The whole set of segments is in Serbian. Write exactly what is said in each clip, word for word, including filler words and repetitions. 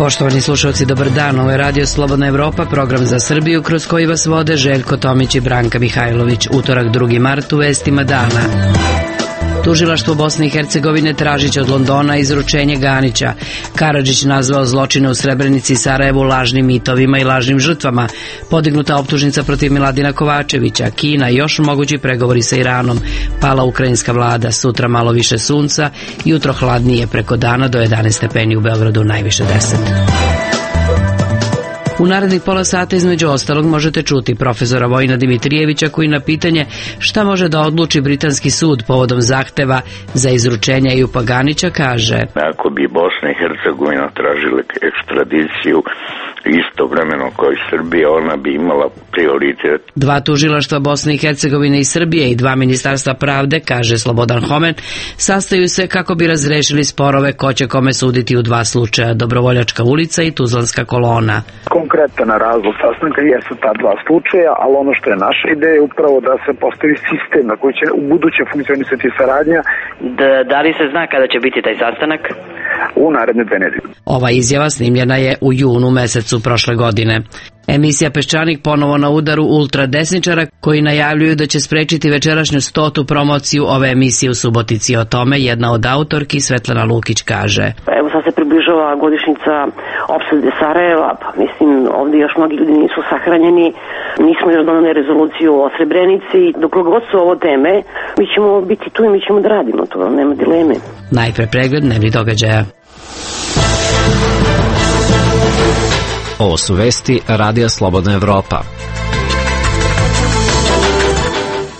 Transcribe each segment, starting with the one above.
Poštovani slušalci, dobar dan. Ovo je Radio Slobodna Evropa, program za Srbiju kroz koji vas vode Željko Tomić i Branka Mihajlović. Utorak drugi mart u vestima dana. Tužilaštvo Bosne i Hercegovine tražiće od Londona izručenje Ganića. Karadžić nazvao zločine u Srebrenici i Sarajevu lažnim mitovima i lažnim žrtvama. Podignuta optužnica protiv Miladina Kovačevića. Kina i još mogući pregovori sa Iranom. Pala ukrajinska vlada. Sutra malo više sunca. Jutro hladnije, preko dana do jedanaest stepeni, u Beogradu najviše deset. U narednih pola sata između ostalog možete čuti profesora Vojina Dimitrijevića koji na pitanje šta može da odluči britanski sud povodom zahteva za izručenje Ejupa Ganića kaže: ako bi Bosna i Hercegovina tražile ekstradiciju istovremeno kao i Srbija, ona bi imala prioritet. Dva tužilaštva Bosne i Hercegovine i Srbije i dva ministarstva pravde, kaže Slobodan Homen, sastaju se kako bi razrešili sporove ko će kome suditi u dva slučaja, Dobrovoljačka ulica i Tuzlanska kolona. Konkretan razlog sastanka jesu ta dva slučaja, ali ono što je naša ideja je upravo da se postavi sistem na koji će u buduće funkcionisati saradnja. Da, da li se zna kada će biti taj sastanak? U naredne dve nedelje. Ova izjava snimljena je u junu mesecu prošle godine. Emisija Peščanik ponovo na udaru ultradesničara koji najavljuju da će sprečiti večerašnju stotu promociju ove emisije u Subotici. O tome jedna od autorki, Svetlana Lukić, kaže: Evo sad se približava godišnjica opsade Sarajeva, pa mislim ovdje još mnogi ljudi nisu sahranjeni, nismo još donali rezoluciju o Srebrenici, dok god su ovo teme, mi ćemo biti tu i mi ćemo da radimo, to nema dileme. Najpre pregled dnevnih događaja. Ovo su vesti Radija Slobodna Evropa.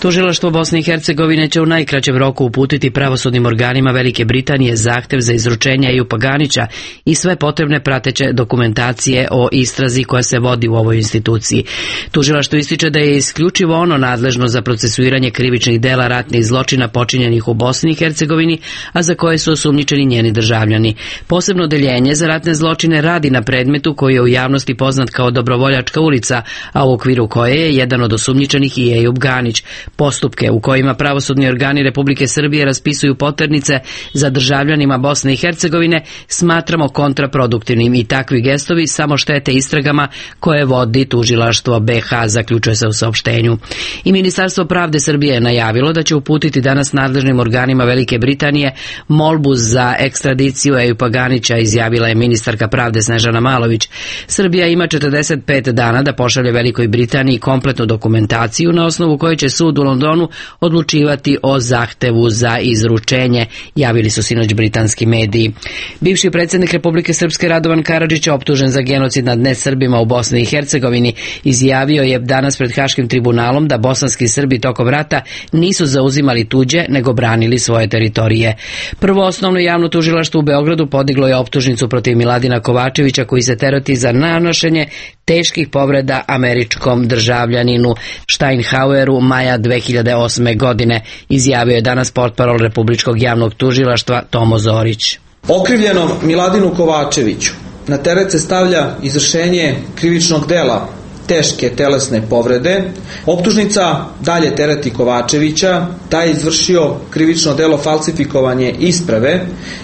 Tužilaštvo Bosne i Hercegovine će u najkraćem roku uputiti pravosudnim organima Velike Britanije zahtev za izručenje Ejupa Ganića i sve potrebne prateće dokumentacije o istrazi koja se vodi u ovoj instituciji. Tužilaštvo ističe da je isključivo ono nadležno za procesuiranje krivičnih dela ratnih zločina počinjenih u Bosni i Hercegovini, a za koje su osumnjičeni njeni državljani. Posebno odeljenje za ratne zločine radi na predmetu koji je u javnosti poznat kao Dobrovoljačka ulica, a u okviru koje je jedan od osumnjičenih i Ejup Ganić. Postupke u kojima pravosudni organi Republike Srbije raspisuju poternice za državljanima Bosne i Hercegovine smatramo kontraproduktivnim i takvi gestovi samo štete istragama koje vodi tužilaštvo B H, zaključuje se u saopštenju. I Ministarstvo pravde Srbije je najavilo da će uputiti danas nadležnim organima Velike Britanije molbu za ekstradiciju Ejupa Ganića, izjavila je ministarka pravde Snežana Malović. Srbija ima četrdeset pet dana da pošalje Velikoj Britaniji kompletnu dokumentaciju na osnovu koje će sud u Londonu odlučivati o zahtevu za izručenje, javili su sinoć britanski mediji. Bivši predsjednik Republike Srpske Radovan Karadžić, optužen za genocid nad nesrbima u Bosni i Hercegovini, izjavio je danas pred Haškim tribunalom da bosanski Srbi tokom rata nisu zauzimali tuđe, nego branili svoje teritorije. Prvo osnovno javno tužilaštvo u Beogradu podiglo je optužnicu protiv Miladina Kovačevića koji se tereti za nanošenje teških povreda američkom državljaninu Steinhaueru maja dve hiljade osme. godine, izjavio je danas portparol Republičkog javnog tužilaštva Tomo Zorić. Okrivljenom Miladinu Kovačeviću na teret se stavlja izvršenje krivičnog dela teške telesne povrede. Optužnica dalje tereti Kovačevića da je izvršio krivično delo falsifikovanje isprave,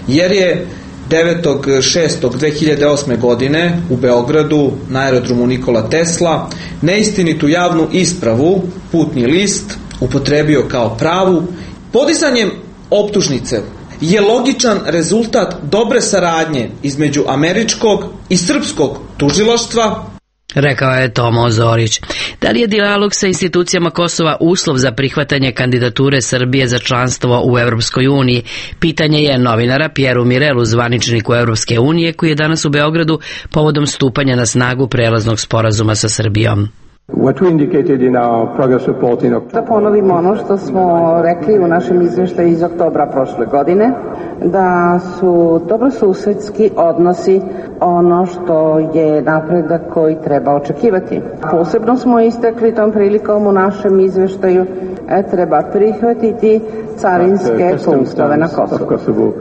jer je devetog šestog dve hiljade osme. godine u Beogradu na aerodromu Nikola Tesla neistinitu javnu ispravu, putni list, upotrebio kao pravu. Podizanjem optužnice je logičan rezultat dobre saradnje između američkog i srpskog tužilaštva, rekao je Tomo Zorić. Da li je dijalog sa institucijama Kosova uslov za prihvatanje kandidature Srbije za članstvo u Evropskoj uniji? Pitanje je novinara Pjeru Mirelu, zvaničniku Evropske unije, koji je danas u Beogradu povodom stupanja na snagu prelaznog sporazuma sa Srbijom. Da ponovimo ono što smo rekli u našem izveštaju iz oktobra prošle godine, da su dobrosusedski odnosi ono što je napredak koji treba očekivati. Posebno smo istakli tom prilikom u našem izveštaju e, treba prihvatiti carinske punktove na Kosovu.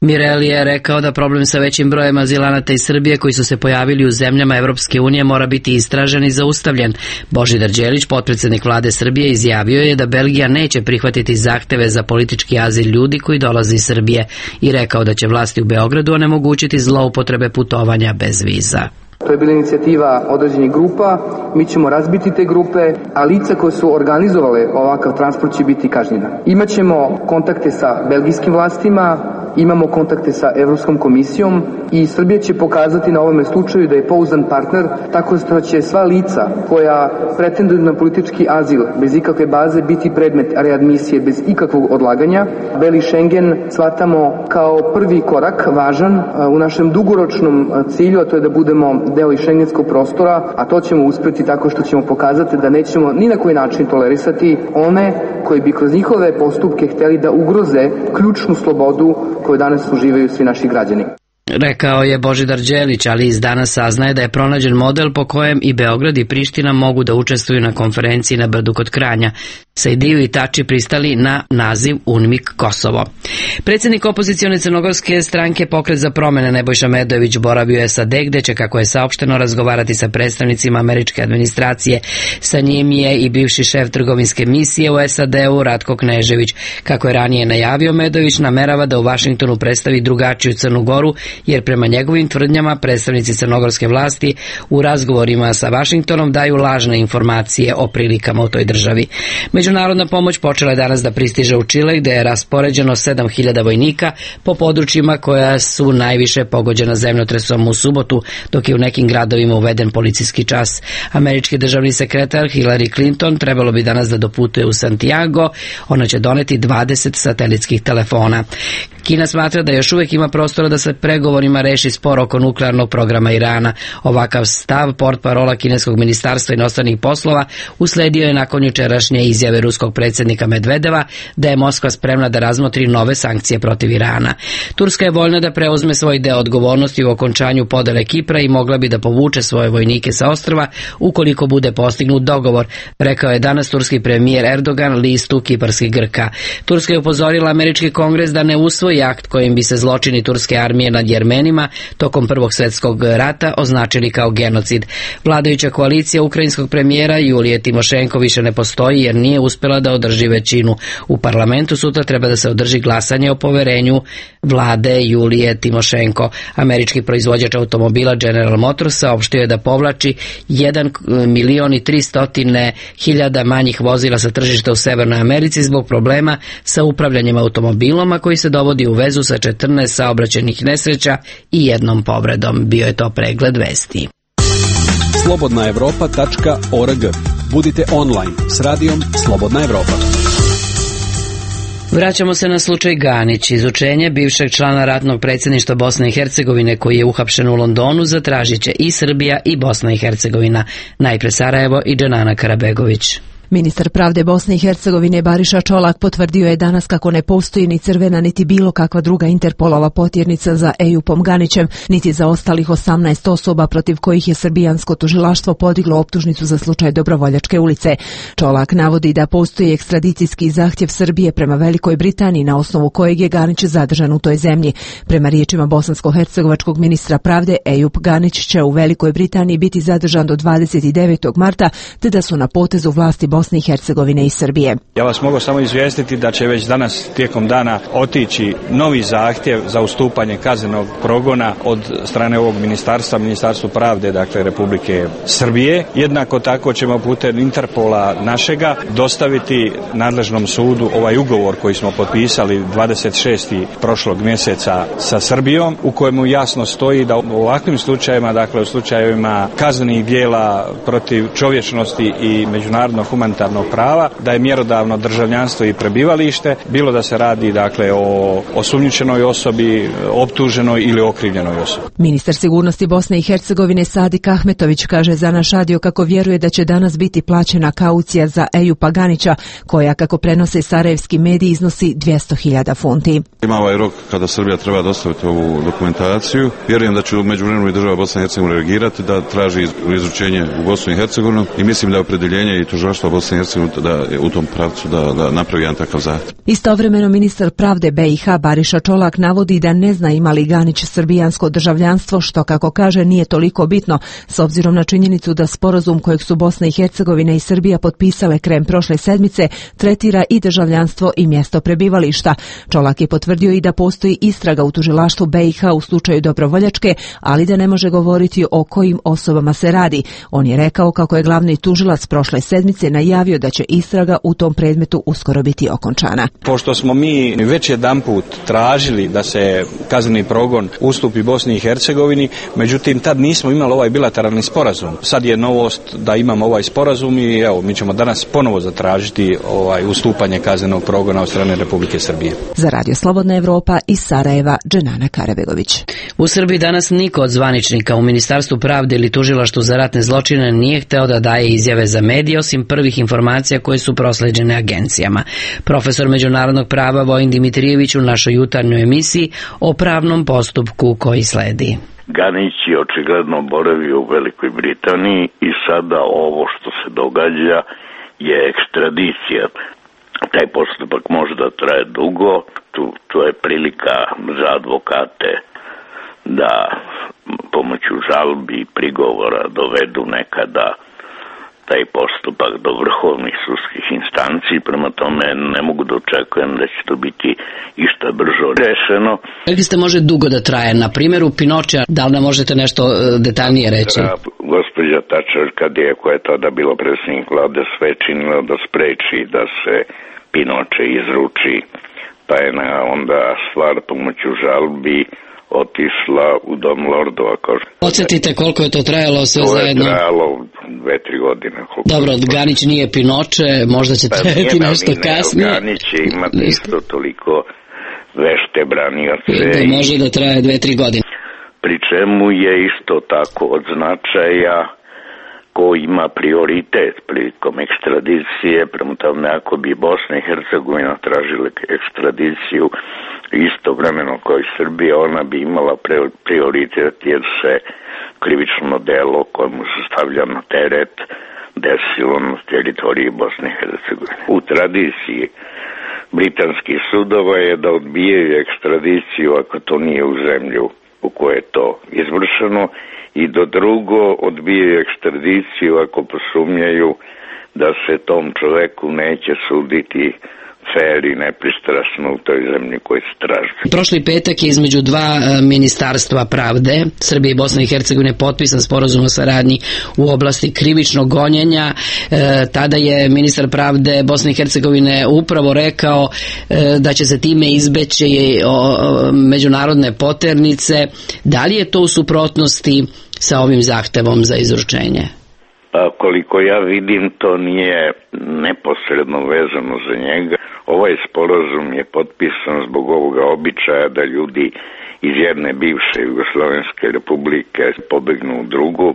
Mirelli je rekao da problem sa većim brojem azilanata iz Srbije koji su se pojavili u zemljama Evropske unije mora biti istražen i zaustavljen. Božidar Đelić, potpredsednik vlade Srbije, izjavio je da Belgija neće prihvatiti zahteve za politički azil ljudi koji dolaze iz Srbije i rekao da će vlasti u Beogradu onemogućiti zloupotrebe putovanja bez viza. To je bila inicijativa određenih grupa, mi ćemo razbiti te grupe, a lica koje su organizovale ovakav transport će biti kažnjena. Imaćemo kontakte sa belgijskim vlastima, imamo kontakte sa Evropskom komisijom i Srbija će pokazati na ovome slučaju da je pouzdan partner, tako što će sva lica koja pretenduju na politički azil bez ikakve baze biti predmet readmisije bez ikakvog odlaganja. Beli Schengen shvatamo kao prvi korak važan u našem dugoročnom cilju, a to je da budemo deo i šengenskog prostora, a to ćemo uspjeti tako što ćemo pokazati da nećemo ni na koji način tolerisati one koji bi kroz njihove postupke hteli da ugroze ključnu slobodu koju danas uživaju svi naši građani. Rekao je Božidar Đelić, ali iz danas saznaje da je pronađen model po kojem i Beograd i Priština mogu da učestvuju na konferenciji na Brdu kod Kranja. Sajdiju i Tači pristali na naziv UNMIK Kosovo. Predsjednik opozicione crnogorske stranke Pokret za promene Nebojša Medojević boravio je S A D, gde će, kako je saopšteno, razgovarati sa predstavnicima američke administracije. Sa njim je i bivši šef trgovinske misije u S A D-u Ratko Knežević. Kako je ranije najavio, Medojević namerava da u Vašingtonu predstavi drugačiju Crnu Goru, jer prema njegovim tvrdnjama predstavnici crnogorske vlasti u razgovorima sa Vašingtonom daju lažne informacije o prilikama u toj državi. Međunarodna pomoć počela je danas da pristiže u Čile, gde je raspoređeno sedam hiljada vojnika po područjima koja su najviše pogođena zemljotresom u subotu, dok je u nekim gradovima uveden policijski čas. Američki državni sekretar Hillary Clinton trebalo bi danas da doputuje u Santiago. Ona će doneti dvadeset satelitskih telefona. Kina smatra da još uvijek ima prostora da se pregovorima reši spor oko nuklearnog programa Irana. Ovakav stav portparola kineskog ministarstva inostranih poslova usledio je nakon jučerašnje izjave ruskog predsjednika Medvedeva da je Moskva spremna da razmotri nove sankcije protiv Irana. Turska je voljna da preuzme svoj deo odgovornosti u okončanju podele Kipra i mogla bi da povuče svoje vojnike sa ostrva ukoliko bude postignut dogovor, rekao je danas turski premijer Erdogan listu kiparskih Grka. Turska je upozorila američki kongres da ne usvoji akt kojim bi se zločini turske armije nad Jermenima tokom Prvog svjetskog rata označili kao genocid. Vladajuća koalicija ukrajinskog premijera Julije Timošenko više ne postoji jer nije uspjela da održi većinu. U parlamentu sutra treba da se održi glasanje o poverenju vlade Julije Timošenko. Američki proizvođač automobila General Motors saopštio je da povlači jedan milion i tristo hiljada manjih vozila sa tržišta u Severnoj Americi zbog problema sa upravljanjem automobilom, a koji se dovodi u vezu sa četrnaest saobraćajnih nesreća i jednom povredom. Bio je to pregled vesti. slobodna evropa tačka org. Budite online s radijom Slobodna Evropa. Vraćamo se na slučaj Ganić. Izučenje bivšeg člana ratnog predsjedništva Bosne i Hercegovine koji je uhapšen u Londonu zatražit će i Srbija i Bosna i Hercegovina. Najpre Sarajevo i Dženana Karabegović. Ministar pravde Bosne i Hercegovine Bariša Čolak potvrdio je danas kako ne postoji ni crvena niti bilo kakva druga Interpolova potjernica za Ejupom Ganićem, niti za ostalih osamnaest osoba protiv kojih je srbijansko tužilaštvo podiglo optužnicu za slučaj Dobrovoljačke ulice. Čolak navodi da postoji ekstradicijski zahtjev Srbije prema Velikoj Britaniji na osnovu kojeg je Ganić zadržan u toj zemlji. Prema riječima bosansko-hercegovačkog ministra pravde, Ejup Ganić će u Velikoj Britaniji biti zadržan do dvadeset devetog marta, te da su na potezu vlasti Bosne i Hercegovine i Srbije. Ja vas mogu samo izvijestiti da će već danas tijekom dana otići novi zahtjev za ustupanje kaznenog progona od strane ovog ministarstva, Ministarstvo pravde, dakle Republike Srbije. Jednako tako ćemo putem Interpola našega dostaviti nadležnom sudu ovaj ugovor koji smo potpisali dvadeset šestog prošlog mjeseca sa Srbijom, u kojemu jasno stoji da u ovakvim slučajevima, dakle u slučajevima kaznenih djela protiv čovječnosti i međunarodnog humanitarnog prava, da je mjerodavno državljanstvo i prebivalište, bilo da se radi dakle o osumnjičenoj osobi, optuženoj ili okrivljenoj osobi. Ministar sigurnosti Bosne i Hercegovine Sadik Ahmetović kaže za naš radio kako vjeruje da će danas biti plaćena kaucija za Ejupa Ganića, koja, kako prenose sarajevski mediji, iznosi dvjesto hiljada funti. Ima ovaj rok kada Srbija treba dostaviti ovu dokumentaciju. Vjerujem da će u međuvremenu i država Bosne i Hercegovine reagirati, da traži izručenje u Bosnu i Hercegovinu i mislim da je opredjeljenje i tužilaštva Bosne i Hercegovine da u tom pravcu da, da napravi jedan takav zahtjev. Istovremeno ministar pravde B i H Bariša Čolak navodi da ne zna ima li Ganić srbijansko državljanstvo, što kako kaže nije toliko bitno s obzirom na činjenicu da sporazum kojeg su Bosna i Hercegovina i Srbija potpisale krajem prošle sedmice tretira i državljanstvo i mjesto prebivališta. Čolak je potvrdio i da postoji istraga u tužilaštvu B i H u slučaju Dobrovoljačke, ali da ne može govoriti o kojim osobama se radi. On je rekao kako je glavni tužilac prošle sedmice najavio da će istraga u tom predmetu uskoro biti okončana. Pošto smo mi već jedanput tražili da se kazneni progon ustupi Bosni i Hercegovini, međutim tad nismo imali ovaj bilateralni sporazum. Sad je novost da imamo ovaj sporazum i evo, mi ćemo danas ponovo zatražiti ovaj ustupanje kaznenog progona od strane Republike Srbije. Za Radio Slobodna Evropa iz Sarajeva, Dženana Karabegović. U Srbiji danas niko od zvaničnika u Ministarstvu pravde ili Tužilaštvu za ratne zločine nije hteo da daje izjave za medije osim prvih informacija koje su prosleđene agencijama. Profesor međunarodnog prava Vojin Dimitrijević u našoj jutarnjoj emisiji o pravnom postupku koji sledi. Ganić je očigledno boravio u Velikoj Britaniji i sada ovo što se događa je ekstradicija. Taj postupak može da traje dugo, tu, tu je prilika za advokate da pomoću žalbi i prigovora dovedu nekada taj postupak do vrhovnih sudskih instanci, prema tome ne mogu da očekujem da će to biti išta brzo rešeno. Rekli ste može dugo da traje, na primjeru Pinočea, da li nam možete nešto detaljnije reći? Gospođa Tačer, kad je, koja je tada bila predsjednik vlade, sve činila da spreči da se Pinoče izruči, pa je na onda stvar pomoću žalbi otišla u dom lordova. Podsjetite koliko je to trajalo sve to zajedno? To je trajalo dve, tri godine. Dobro, Ganić nije Pinoče, možda će trajati pa nešto ne, kasnije. Ganić će imati isto toliko vešte branioce. Da može da traje dve, tri godine. Pri čemu je isto tako od značaja ko ima prioritet prilikom ekstradicije, prema tome ako bi Bosna i Hercegovina tražile ekstradiciju istovremeno kao i Srbija, ona bi imala prioritet jer se krivično delo kojemu se stavlja na teret desilo na teritoriji Bosne i Hercegovine. U tradiciji britanskih sudova je da odbijaju ekstradiciju ako to nije u zemlju u kojoj je to izvršeno i do drugo odbijaju ekstradiciju ako posumnjaju da se tom čoveku neće suditi fer i nepristrasno u toj zemlji koji se traži. Prošli petak je između dva ministarstva pravde, Srbije i Bosne i Hercegovine, potpisan sporazum o saradnji u oblasti krivičnog gonjenja. E, tada je ministar pravde Bosne i Hercegovine upravo rekao e, da će se time izbeći o, o, međunarodne poternice. Da li je to u suprotnosti sa ovim zahtevom za izručenje? Pa koliko ja vidim, to nije neposredno vezano za njega. Ovaj sporazum je potpisan zbog ovoga običaja da ljudi iz jedne bivše Jugoslovenske republike pobegnu u drugu,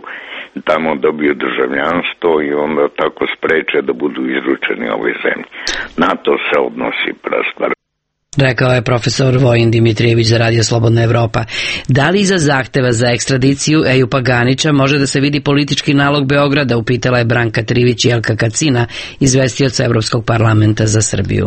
tamo dobiju državljanstvo i onda tako spreče da budu izručeni ovoj zemlji. Na to se odnosi prastvar. Rekao je profesor Vojin Dimitrijević za Radio Slobodna Evropa. Da li iza zahteva za ekstradiciju Ejupa Ganića može da se vidi politički nalog Beograda, upitala je Branka Trivić i Jelka Kacina, izvestioca Evropskog parlamenta za Srbiju.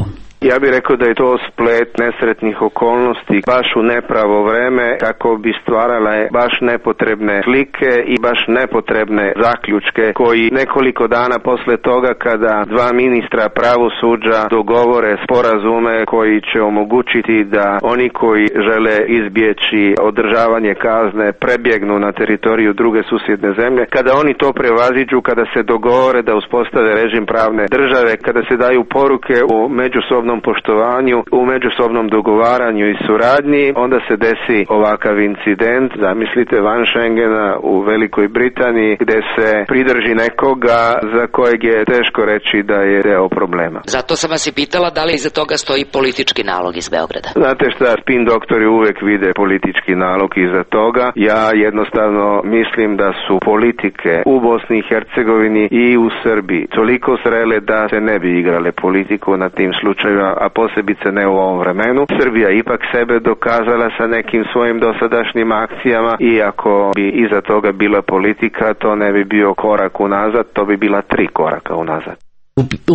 Ja bih rekao da je to splet nesretnih okolnosti baš u nepravo vreme kako bi stvarale baš nepotrebne slike i baš nepotrebne zaključke koji nekoliko dana posle toga kada dva ministra pravosuđa dogovore sporazume koji će omogućiti da oni koji žele izbjeći održavanje kazne prebjegnu na teritoriju druge susjedne zemlje, kada oni to prevaziđu, kada se dogovore da uspostave režim pravne države, kada se daju poruke u međusobnom poštovanju, u međusobnom dogovaranju i suradnji, onda se desi ovakav incident, zamislite, van Schengena u Velikoj Britaniji, gde se pridrži nekoga za kojeg je teško reći da je deo problema. Zato sam vas i pitala da li iza toga stoji politički nalog iz Beograda. Znate šta, spin doktori uvek vide politički nalog iza toga. Ja jednostavno mislim da su politike u Bosni i Hercegovini i u Srbiji toliko zrele da se ne bi igrale politiku na tim slučajima, a posebice ne u ovom vremenu. Srbija ipak sebe dokazala sa nekim svojim dosadašnjim akcijama i ako bi iza toga bila politika, to ne bi bio korak unazad, to bi bila tri koraka unazad.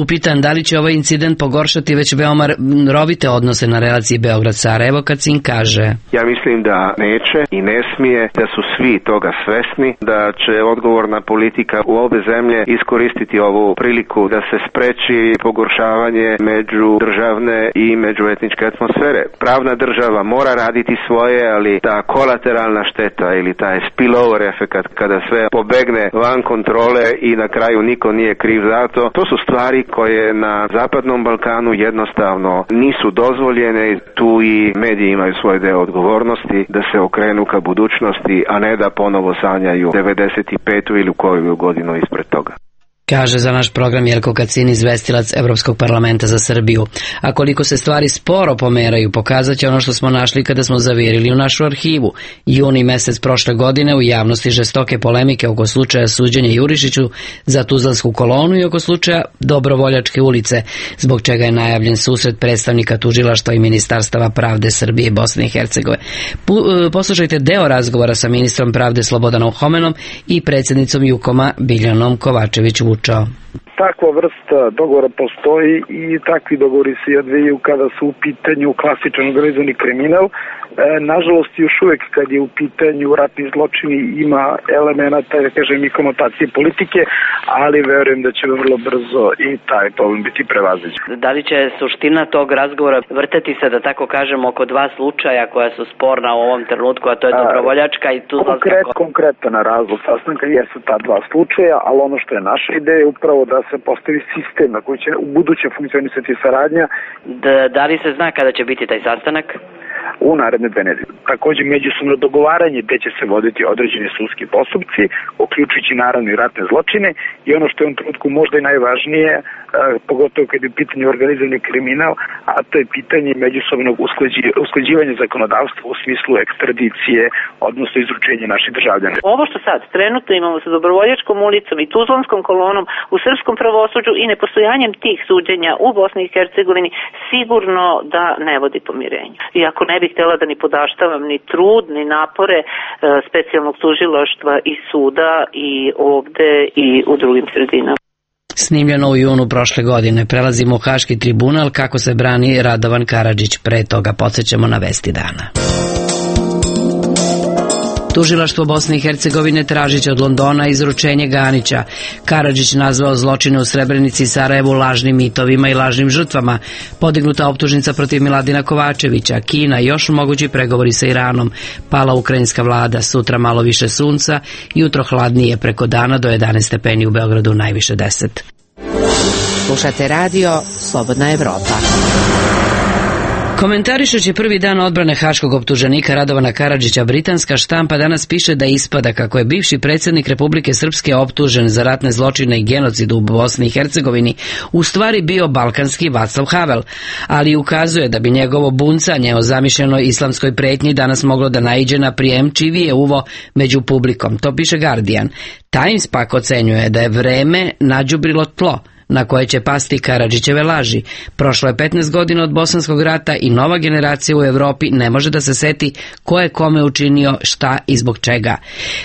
Upitan da li će ovaj incident pogoršati već veoma rovite odnose na relaciji Beograd-Sarajevo, Kacin kaže: Ja mislim da neće i ne smije, da su svi toga svesni, da će odgovorna politika u obe zemlje iskoristiti ovu priliku da se spreči pogoršavanje međudržavne i međuetničke atmosfere. Pravna država mora raditi svoje, ali ta kolateralna šteta ili taj spillover efekat kada sve pobegne van kontrole i na kraju niko nije kriv za to, to su stvari koje na Zapadnom Balkanu jednostavno nisu dozvoljene. Tu i mediji imaju svoj deo odgovornosti da se okrenu ka budućnosti, a ne da ponovo sanjaju devedeset petu ili koju godinu ispred toga. Kaže za naš program Jelko Kacin, izvestilac Evropskog parlamenta za Srbiju. A koliko se stvari sporo pomeraju, pokazat će ono što smo našli kada smo zavirili u našu arhivu. Juni mesec prošle godine u javnosti žestoke polemike oko slučaja suđenja Jurišiću za Tuzlansku kolonu i oko slučaja Dobrovoljačke ulice, zbog čega je najavljen susret predstavnika tužilaštva i ministarstava pravde Srbije i Bosne i Hercegovine. Poslušajte deo razgovora sa ministrom pravde Slobodanom Homenom i predsjednicom Jukoma Biljanom Kovačević Vučao. Takva vrsta dogovora postoji i takvi dogovori se odvijaju kada su u pitanju klasičan organizovani kriminal. E, nažalost, još uvijek kad je u pitanju ratni zločini ima elemenata, da kažem, i konotacije politike, ali verujem da će vrlo brzo i taj problem biti prevaziđen. Da li će suština tog razgovora vrteti se, da tako kažem, oko dva slučaja koja su sporna u ovom trenutku, a to je Dobrovoljačka i Tuzlanska? Konkret, konkretan razlog sastanka jesu ta dva slučaja, ali ono što je naša ideja je upravo da se postavi sistem na koji će u buduće funkcionisati saradnja. Da, da li se zna kada će biti taj sastanak? U naredne dve nedelje. Također međusobno dogovaranje gde će se voditi određeni sudski postupci, uključujući naravno i ratne zločine, i ono što je u ovom trenutku možda i najvažnije, eh, pogotovo kad je u pitanju organizovani kriminal, a to je pitanje međusobnog usklađi, usklađivanja zakonodavstva u smislu ekstradicije, odnosno izručenja naših državljana. Ovo što sad trenutno imamo sa Dobrovoljačkom ulicom i Tuzlanskom kolonom u srpskom pravosuđu i nepostojanjem tih suđenja u Bosni i Hercegovini sigurno da ne vodi pomirenju. Iako ne bih htjela da ni podaštavam ni trud, ni napore e, specijalnog tužilaštva i suda i ovde i u drugim sredinama. Snimljeno u junu prošle godine. Prelazimo u Haški tribunal, kako se brani Radovan Karadžić. Pre toga podsjećamo na vesti dana. Tužilaštvo Bosne i Hercegovine tražiće od Londona izručenje Ganića. Karadžić nazvao zločine u Srebrenici i Sarajevu lažnim mitovima i lažnim žrtvama. Podignuta optužnica protiv Miladina Kovačevića. Kina, još mogući pregovori sa Iranom. Pala ukrajinska vlada, sutra malo više sunca, jutro hladnije, preko dana do jedanaest stepeni, u Beogradu najviše deset. Slušate radio Slobodna Evropa. Komentarišući prvi dan odbrane haškog optuženika Radovana Karadžića, britanska štampa danas piše da ispada kako je bivši predsjednik Republike Srpske optužen za ratne zločine i genocid u Bosni i Hercegovini u stvari bio balkanski Vaclav Havel, ali ukazuje da bi njegovo buncanje o zamišljenoj islamskoj pretnji danas moglo da naiđe na prijemčivije uvo među publikom. To piše Guardian. Times pak ocenjuje da je vreme nađubrilo tlo na koje će pasti Karadžićeve laži. Prošlo je petnaest godina od Bosanskog rata i nova generacija u Evropi ne može da se seti ko je kome učinio šta i zbog čega.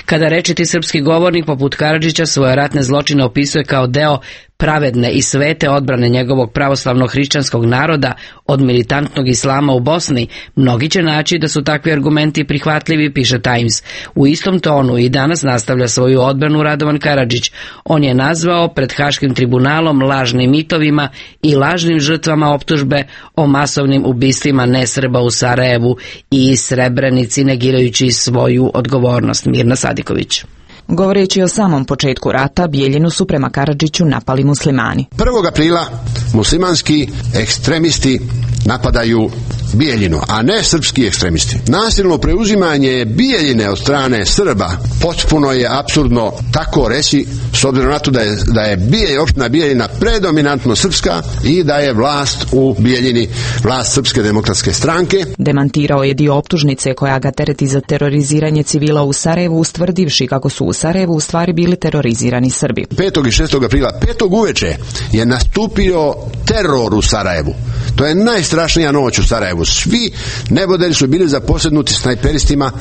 Kada rečiti srpski govornik poput Karadžića svoje ratne zločine opisuje kao deo pravedne i svete odbrane njegovog pravoslavno-hrišćanskog naroda od militantnog islama u Bosni, mnogi će naći da su takvi argumenti prihvatljivi, piše Times. U istom tonu i danas nastavlja svoju odbranu Radovan Karadžić. On je nazvao pred Haškim tribunalom lažnim mitovima i lažnim žrtvama optužbe o masovnim ubistvima nesrba u Sarajevu i Srebrenici, negirajući svoju odgovornost. Mirna Sadiković. Govoreći o samom početku rata, Bijeljinu su prema Karadžiću napali muslimani. prvog aprila muslimanski ekstremisti napadaju Bijeljinu, a ne srpski ekstremisti. Nasilno preuzimanje Bijeljine od strane Srba potpuno je apsurdno tako reći, s obzirom na to da je, da je Bijelj, opština Bijeljina predominantno srpska i da je vlast u Bijeljini vlast Srpske demokratske stranke. Demantirao je dio optužnice koja ga tereti za teroriziranje civila u Sarajevu, ustvrdivši kako su u Sarajevu u stvari bili terorizirani Srbi. petog i šestog aprila, petog uveče je nastupio teror u Sarajevu. To je najstrašnija noć u Sarajevu. Svi neboderi su bili zaposjednuti snajperistima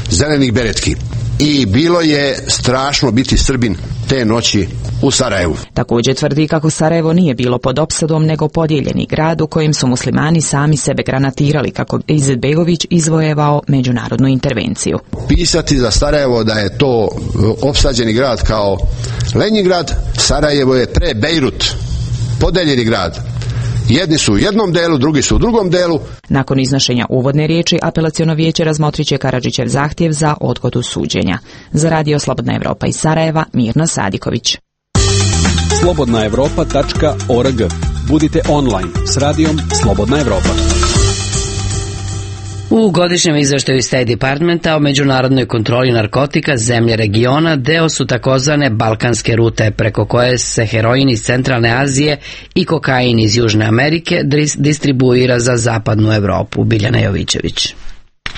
zelenih beretki. i bilo je strašno biti Srbin te noći u Sarajevu. Također tvrdi kako Sarajevo nije bilo pod opsadom nego podijeljeni grad u kojem su muslimani sami sebe granatirali kako bi Izetbegović izvojevao međunarodnu intervenciju. Pisati za Sarajevo da je to opsađeni grad kao Leningrad, Sarajevo je pre Bejrut, podeljeni grad. Jedni su u jednom delu, drugi su u drugom delu. Nakon iznošenja uvodne riječi, apelaciono vijeće razmotrit će Karadžićev zahtjev za odgodu suđenja. Za Radio Slobodna Evropa iz Sarajeva, Mirna Sadiković. slobodna evropa tačka org. Budite online s radijom Slobodna Evropa. U godišnjem izveštaju State Departmenta o međunarodnoj kontroli narkotika zemlje regiona deo su takozvane balkanske rute preko koje se heroin iz centralne Azije i kokain iz Južne Amerike distribuira za zapadnu Evropu. Biljana Jovićević.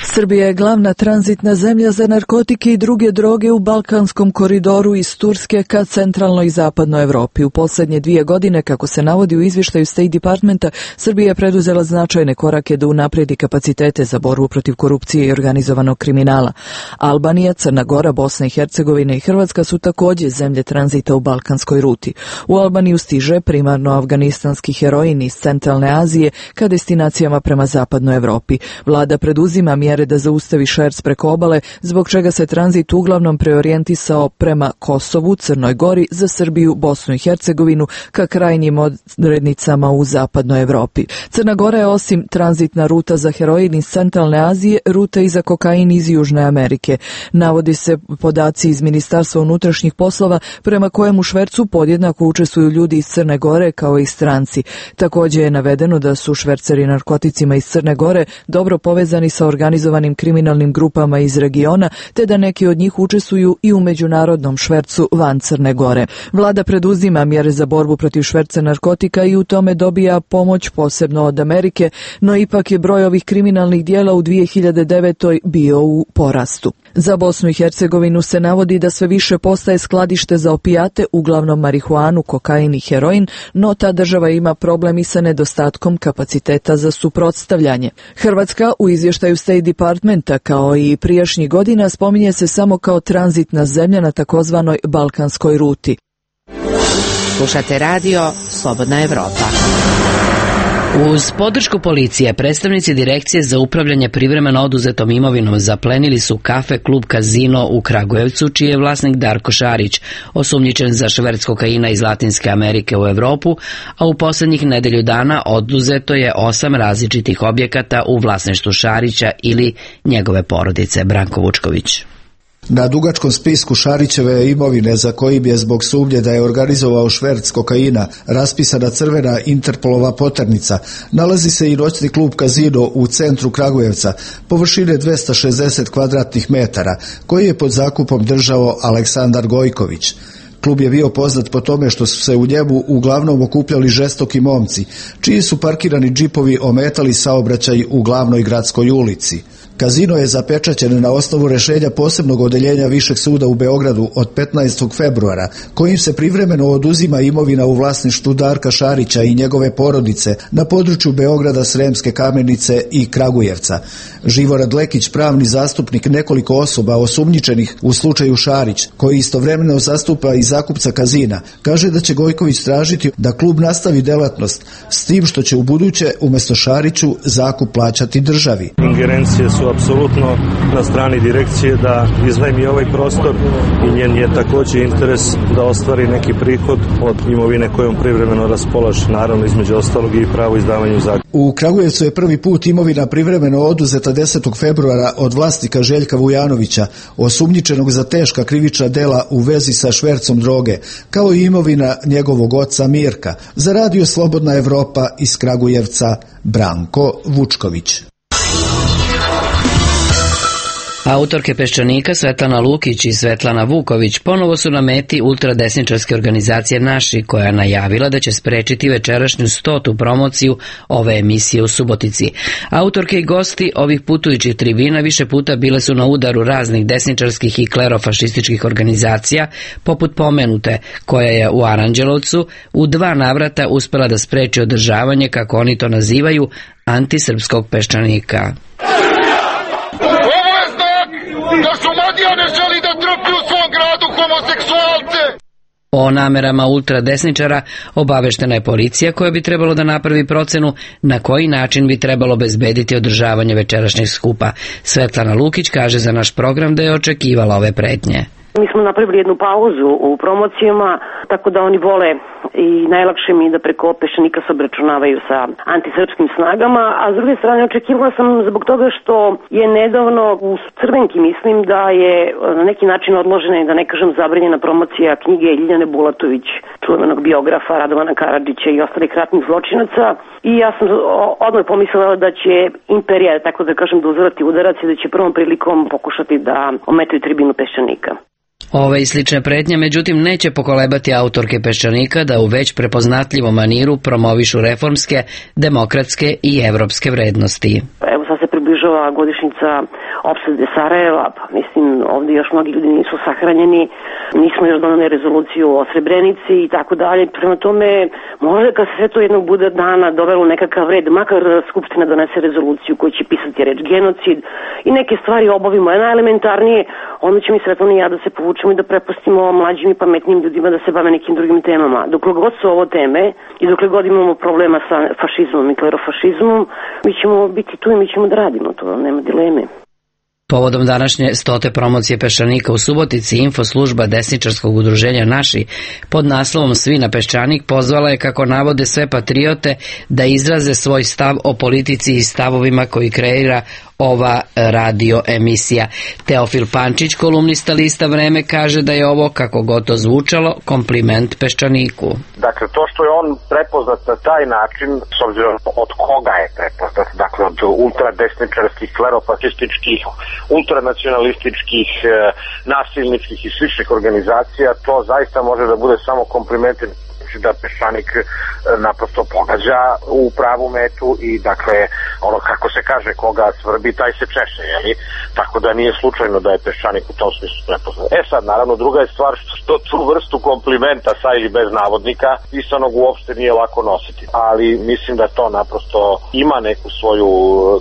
Srbija je glavna tranzitna zemlja za narkotike i druge droge u Balkanskom koridoru iz Turske ka centralnoj i zapadnoj Evropi. U posljednje dvije godine, kako se navodi u izvještaju State Departmenta, Srbija je preduzela značajne korake da unapredi kapacitete za borbu protiv korupcije i organizovanog kriminala. Albanija, Crna Gora, Bosna i Hercegovina i Hrvatska su također zemlje tranzita u balkanskoj ruti. U Albaniju stiže primarno afganistanski heroin iz centralne Azije ka destinacijama prema zapadnoj Evropi. Vlada preduzima mjere da zaustavi šverc preko obale, zbog čega se tranzit uglavnom preorijentisao prema Kosovu, Crnoj Gori, za Srbiju, Bosnu i Hercegovinu, ka krajnjim odrednicama u zapadnoj Evropi. Crna Gora je osim tranzitna ruta za heroin iz centralne Azije, ruta i za kokain iz Južne Amerike. Navodi se podaci iz Ministarstva unutrašnjih poslova prema kojem u švercu podjednako učestvuju ljudi iz Crne Gore kao i stranci. Također je navedeno da su šverceri narkoticima iz Crne Gore dobro povezani sa organizovanim kriminalnim grupama iz regiona, te da neki od njih učestvuju i u međunarodnom švercu van Crne Gore. Vlada preduzima mjere za borbu protiv šverca narkotika i u tome dobija pomoć posebno od Amerike, no ipak je broj ovih kriminalnih dijela u dvije hiljade devetoj bio u porastu. Za Bosnu i Hercegovinu se navodi da sve više postaje skladište za opijate, uglavnom marihuanu, kokain i heroin, no ta država ima problem i sa nedostatkom kapaciteta za suprotstavljanje. Hrvatska u izvještaju State Departmenta kao i prijašnjih godina spominje se samo kao tranzitna zemlja na takozvanoj balkanskoj ruti. Slušate radio Slobodna Evropa. Uz podršku policije, predstavnici Direkcije za upravljanje privremeno oduzetom imovinom zaplenili su kafe klub Kazino u Kragujevcu, čiji je vlasnik Darko Šarić, osumnjičen za šverc kokaina iz Latinske Amerike u Evropu, a u posljednjih nedelju dana oduzeto je osam različitih objekata u vlasništvu Šarića ili njegove porodice. Branko Vučković. Na dugačkom spisku Šarićeve imovine, za kojim je zbog sumnje da je organizovao šverc kokaina raspisana crvena Interpolova poternica, nalazi se i noćni klub Kazino u centru Kragujevca, površine dvesta šezdeset kvadratnih metara, koji je pod zakupom držao Aleksandar Gojković. Klub je bio poznat po tome što su se u njemu uglavnom okupljali žestoki momci, čiji su parkirani džipovi ometali saobraćaj u glavnoj gradskoj ulici. Kazino je zapečaćen na osnovu rješenja posebnog odeljenja Višeg suda u Beogradu od petnaestog februara, kojim se privremeno oduzima imovina u vlasništvu Darka Šarića i njegove porodice na području Beograda, Sremske Kamenice i Kragujevca. Živorad Lekić, pravni zastupnik nekoliko osoba osumnjičenih u slučaju Šarić, koji istovremeno zastupa i zakupca Kazina, kaže da će Gojković tražiti da klub nastavi delatnost, s tim što će u buduće umjesto Šariću zakup plaćati državi. Ingerencije su apsolutno na strani direkcije da iznajmi ovaj prostor i njen je također interes da ostvari neki prihod od imovine kojom privremeno raspolaže, naravno između ostalog i pravo izdavanju zakupa. U Kragujevcu je prvi put imovina privremeno oduzeta desetog februara od vlasnika Željka Vujanovića, osumnjičenog za teška krivična dela u vezi sa švercom droge, kao i imovina njegovog oca Mirka. Za Radio Slobodna Evropa iz Kragujevca, Branko Vučković. Autorke Peščanika Svetlana Lukić i Svetlana Vuković ponovo su na meti ultradesničarske organizacije Naši, koja je najavila da će sprečiti večerašnju stotu promociju ove emisije u Subotici. Autorke i gosti ovih putujućih tribina više puta bile su na udaru raznih desničarskih i klerofašističkih organizacija, poput pomenute, koja je u Aranđelovcu u dva navrata uspela da spreči održavanje, kako oni to nazivaju, antisrpskog Peščanika. Da Šumadija ne želi da homoseksualce! O namerama ultradesničara obaveštena je policija koja bi trebalo da napravi procenu na koji način bi trebalo obezbediti održavanje večerašnjeg skupa. Svetlana Lukić kaže za naš program da je očekivala ove pretnje. Mi smo napravili jednu pauzu u promocijama, tako da oni vole i najlakše mi da preko Peščanika se obračunavaju sa antisrpskim snagama, a s druge strane očekivala sam zbog toga što je nedavno u Crvenki, mislim da je na neki način odložena i da ne kažem zabranjena promocija knjige Ljiljane Bulatović, čuvenog biografa Radovana Karadžića i ostalih ratnih zločinaca, i ja sam odmah pomislila da će imperija, tako da kažem, da uzvrati udarac i da će prvom prilikom pokušati da ometaju tribinu Peščanika. Ove i slične pretnje, međutim, neće pokolebati autorke Peščanika da u već prepoznatljivom maniru promovišu reformske, demokratske i evropske vrednosti. Evo sad se približava godišnjica opsade Sarajeva, pa mislim ovdje još mnogi ljudi nisu sahranjeni, nismo još donali rezoluciju o Srebrenici i tako dalje. Prema tome, možda kad se sve to jednog bude dana dovelo nekakav red, makar Skupština donese rezoluciju koju će pisati reč genocid i neke stvari obavimo, je najelementarnije, onda će mi Svetlana i ja da se povučemo i da prepustimo mlađim i pametnim ljudima da se bave nekim drugim temama. Dokle god su ovo teme i dokle god imamo problema sa fašizmom i klerofašizmom, mi ćemo biti tu i mi ćemo da radimo, to nema dileme. Povodom današnje stote promocije Peščanika u Subotici, infoslužba desničarskog udruženja Naši pod naslovom Svi na Peščanik pozvala je, kako navode sve patriote, da izraze svoj stav o politici i stavovima koji kreira ova radio emisija. Teofil Pančić, kolumnista lista Vreme, kaže da je ovo, kako god to zvučalo, kompliment Peščaniku. Dakle, to što je on prepoznat na taj način, s obzirom od koga je prepoznat, dakle od ultradesničarskih, klerofašističkih, ultranacionalističkih, nasilničkih i sličnih organizacija, to zaista može da bude samo komplimentin da Peščanik naprosto pogađa u pravu metu i dakle ono kako se kaže, koga svrbi taj se češe, jeli? Tako da nije slučajno da je Peščanik u tom smislu prepoznat. E sad, naravno, druga je stvar što tu vrstu komplimenta sa ili bez navodnika pisanog uopšte nije lako nositi, ali mislim da to naprosto ima neku svoju,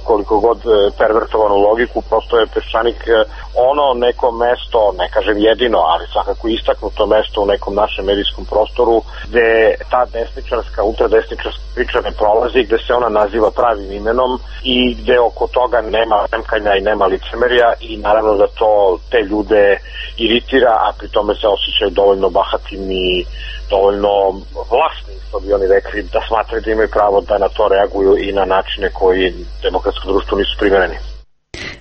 koliko god pervertovanu logiku. Prosto je Peščanik ono neko mesto, ne kažem jedino, ali svakako istaknuto mesto u nekom našem medijskom prostoru gde ta desničarska, ultradesničarska priča ne prolazi, gde se ona naziva pravim imenom i gde oko toga nema remkanja i nema licemerja, i naravno da to te ljude iritira, a pri tome se osjećaju dovoljno bahatim i dovoljno vlasni, što bi oni rekli, da smatraju da imaju pravo da na to reaguju i na načine koji demokratsko društvo nisu primereni.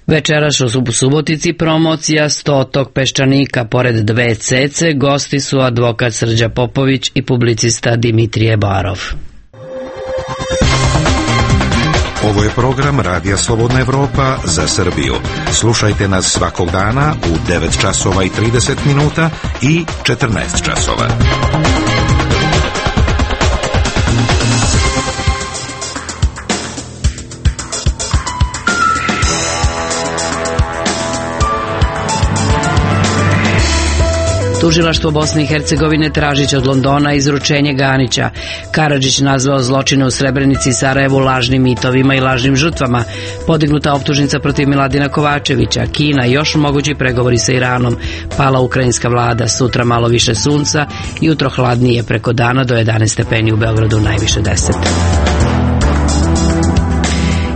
Večeras u Subotici promocija stotog Peščanika. Pored dve cece, gosti su advokat Srđa Popović i publicista Dimitrije Barov. Ovo je program Radija Slobodna Evropa za Srbiju. Slušajte nas svakog dana u devet časova i trideset minuta i četrnaest časova. Tužilaštvo Bosne i Hercegovine tražiće od Londona izručenje Ganića. Karadžić nazvao zločine u Srebrenici i Sarajevu lažnim mitovima i lažnim žrtvama. Podignuta optužnica protiv Miladina Kovačevića. Kina, još mogući pregovori sa Iranom. Pala ukrajinska vlada, sutra malo više sunca, jutro hladnije, preko dana do jedanaest stepeni, u Beogradu najviše deset.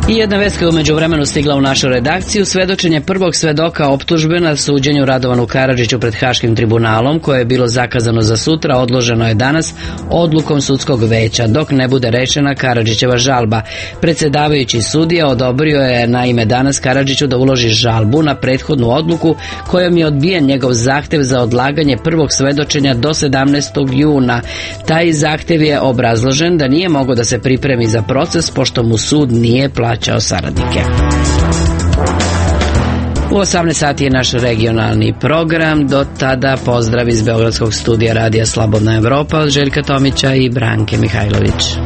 I jedna vest koja je umeđu vremenu stigla u našu redakciju, svedočenje prvog svedoka optužbe na suđenju Radovanu Karadžiću pred Haškim tribunalom, koje je bilo zakazano za sutra, odloženo je danas odlukom sudskog veća, dok ne bude rešena Karadžićeva žalba. Predsedavajući sudija odobrio je naime danas Karadžiću da uloži žalbu na prethodnu odluku kojom je odbijen njegov zahtev za odlaganje prvog svedočenja do sedamnaestog juna. Taj zahtev je obrazložen da nije mogao da se pripremi za proces, pošto mu sud nije plaćao saradnike. U osamnaest sati je naš regionalni program. Do tada pozdrav iz Beogradskog studija Radija Slobodna Evropa od Željka Tomića i Branke Mihajlović.